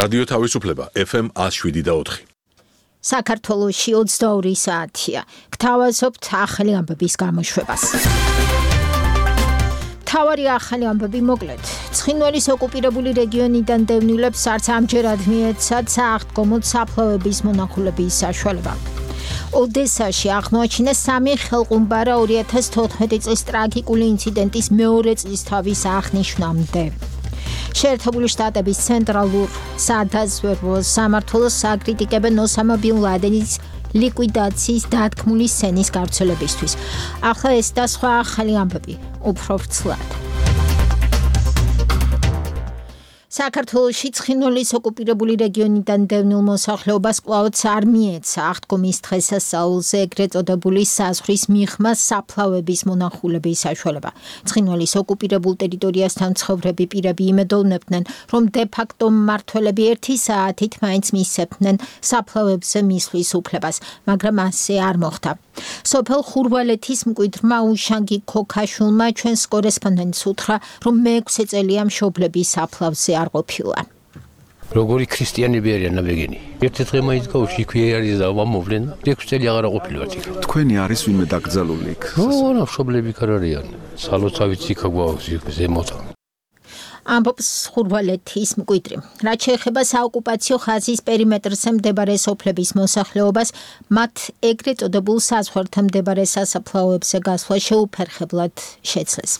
რადიო თავისუფლება FM 107.4. საქართველოში 22 საათია. გთავაზობთ ახალი ამბების გამოშვებას. თავარი ახალი ამბები მოკლედ. ცხინვალის ოკუპირებული რეგიონიდან დევნილებს არც ამჯერად მიეცათ სააღდგომოდ საფლავების მონახულების საშუალება. ოდესაში აღმოაჩინეს 3 ხელყუმბარა 2014 წლის ტრაგიკული ინციდენტის მეორე წლისთავის აღნიშვნამდე. შეერთებული შტატების ცენტრალურ სადაზვერვო სამმართველოს აკრიტიკებენ ოსამა ბინ ლადენის ლიკვიდაციის დათქმული სცენის გავრცელებისთვის. ახლა ეს და სხვა ახალი ამბები უფრო ვრცლად. საქართველოში ცხინვალის ოკუპირებული რეგიონიდან დევნილ მოსახლეობას კვლავაც არ მიეცა აღდგომის დღესასწაულზე ეგრეთ წოდებული საზღვრის მიღმა საფლავების მონახულების საშუალება. ცხინვალის ოკუპირებულ ტერიტორიასთან მცხოვრები პირები იმედოვნებდნენ, რომ დე-ფაქტო მმართველები 1 საათით მაინც მისცემდნენ საფლავებზე მისვლის უფლებას, მაგრამ ასე არ მოხდა. სოფელ ხურვალეთის მკვიდრმა უშანგი ქოქაშულმა ჩვენს კორესპონდენტს უთხრა, რომ მე-6 წელია მშობლები საფლავზე არ ყოფილა. როგორი ქრისტიანები არიან ნაბეგენი. ერთი დღე მაინც გავში იქვე არის და მომვლენ. 6 წელი აღარ ყოფილვართ იქ. თქვენი არის ვინმე დაკრძალული იქ? რა მშობლები ქარ არიან. სალოცავიც იქ გვაქვს იქ ზემოთ. ამბობს ხურვალეთის მკვიდრი. რაც შეეხება საოკუპაციო ხაზის პერიმეტრზე მდებარე სოფლების მოსახლეობას, მათ ეგრეთ წოდებულ საზღვართან მდებარე სასაფლაოებზე გასვლა შეუფერხებლად შეძლეს.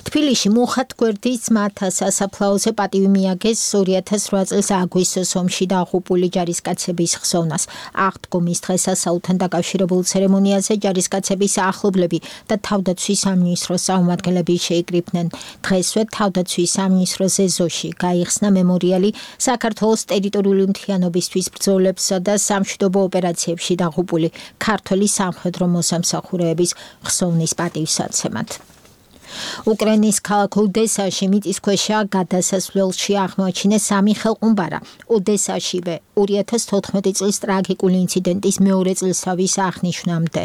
თბილისში მუხათ გვერდის ძმათა სასაფლაოზე პატივი მიაგეს 2008 წლის აგვისტოს ომში დაღუპული ჯარისკაცების ხსოვნას. აღდგომის დღესასწაულთან დაკავშირებულ ცერემონიაზე ჯარისკაცების ახლობლები და თავდაცვის სამინისტროს წარმომადგენლები შეიკრიბნენ. დღესვე თავდაცვის სამინისტროს ეზოში გაიხსნა მემორიალი საქართველოს ტერიტორიული მთლიანობისთვის ბრძოლებსა და სამშვიდობო ოპერაციებში დაღუპული ქართველი სამხედრო მოსამსახურეების ხსოვნის პატივსაცემად. უკრაინის ქალაქ ოდესაში მიწისქვეშა გადასასვლელში აღმოაჩინეს 3 ხელყუმბარა. ოდესაშივე 2014 წლის ტრაგიკული ინციდენტის მეორე წლისთავის აღნიშვნამდე.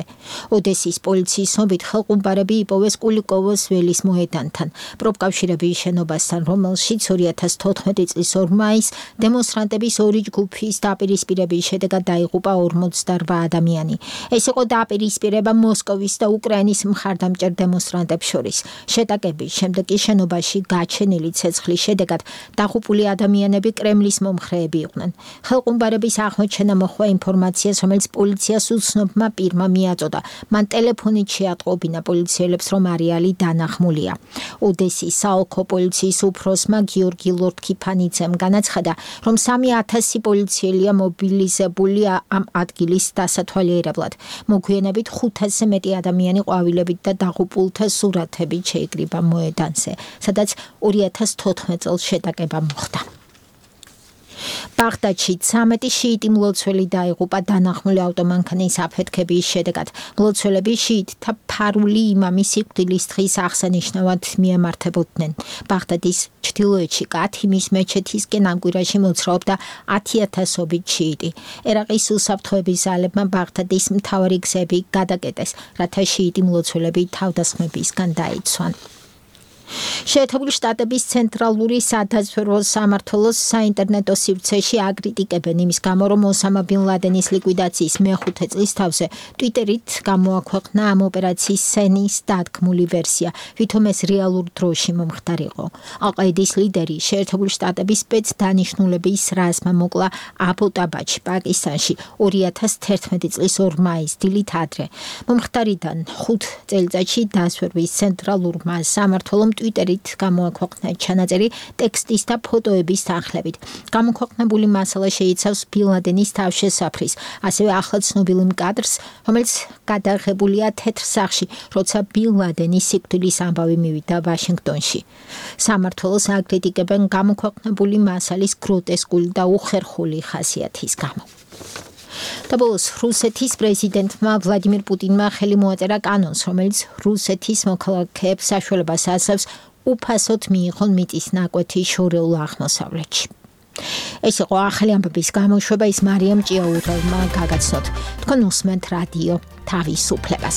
ოდესის პოლიციის ცნობით ხელყუმბარები იპოვეს კულიკოვოს ველის მოედანთან, პროფკავშირების შენობასთან, რომელშიც 2014 წლის 2 მაისს დემონსტრანტების 2 ჯგუფის დაპირისპირების შედეგად დაიღუპა 48 ადამიანი. ეს იყო დაპირისპირება მოსკოვის და უკრაინის მხარდამჭერ დემონსტრანტებს შორის. შეტაკების შემდეგ კი შენობაში გაჩენილი ცეცხლის შედეგად დაღუპული ადამიანები კრემლის მომხრეები იყვნენ. ხელყუმბარების აღმოჩენა მოჰყვა ინფორმაციას, რომელიც პოლიციას უცნობმა პირმა მიაწოდა. მან ტელეფონით შეატყობინა პოლიციელებს, რომ არეალი დანახმულია. ოდესის საოლქო პოლიციის უფროსმა გიორგი ლორთქიფანიძემ განაცხადა, რომ 3000 პოლიციელია მობილიზებული ამ ადგილის დასათვალიერებლად. მოგვიანებით 500-ზე მეტი ადამიანი ყვავილებით და დაღუპულთა სურათებით შეიკრიბა მოედანზე, სადაც 2014 წელს შეტაკება მოხდა. ბაღდადში 13 შიიტი მლოცველი დაიღუპა დანახმული ავტომანქანის აფეთქების შედეგად. მლოცველები შიიტთა ფარული იმამის სიკვდილის დღის აღსანიშნავად მიემართებოდნენ. ბაღდადის ჩრდილოეთში კათიმის მეჩეთისკენ ამ კვირაში მოძრაობდა 10,000-ობით შიიტი. ერაყის უსაფრთხოების ძალებმა ბაღდადის მთავარი გზები გადაკეტეს, რათა შიიტი მლოცველები თავდასხმებისგან დაიცვან. შეერთებული შტატების ცენტრალური სადაზვერვო სამმართველოს საინტერნეტო სივრცეში აკრიტიკებენ იმის გამო, რომ ოსამა ბინ ლადენის ლიკვიდაციის მე-5 წლისთავზე ტვიტერით გამოაქვეყნა ამ ოპერაციის სცენის დათქმული ვერსია, ვითომ ეს რეალურ დროში მომხდარიყო. ალ-ყაიდის ლიდერი შეერთებული შტატების სპეცდანიშნულების რაზმმა მოკლა აბოტაბადში, პაკისტანში 2011 წლის 2 მაისს დილით ადრე. მომხდარიდან 5 წელიწადში დაზვერვის ცენტრალურმა სამმართველომ ტვიტერით გამოაქვეყნა ჩანაწერი ტექსტის და ფოტოების თანხლებით. გამოქვეყნებული მასალა შეიცავს ბინ ლადენის თავშესაფრის, ასევე ახლა ცნობილ კადრს, რომელიც გადაღებულია თეთრ სახლში, როცა ბინ ლადენის სიკვდილის ამბავი მივიდა ვაშინგტონში. სამმართველოს აკრიტიკებენ გამოქვეყნებული მასალის გროტესკული და უხერხული ხასიათის გამო. და ბოლოს რუსეთის პრეზიდენტმა ვლადიმირ პუტინმა ხელი მოაწერა კანონს, რომელიც რუსეთის მოქალაქეებს საშუალებას ასევს უფასოდ მიიღონ მიწის ნაკვეთი შორეულ აღმოსავლეთში. ეს იყო ახალი ამბების გამოშვება, ის მარიამ ჭიაურელმა გაგაცნოთ. თქვენ უსმენთ რადიო თავისუფლებას.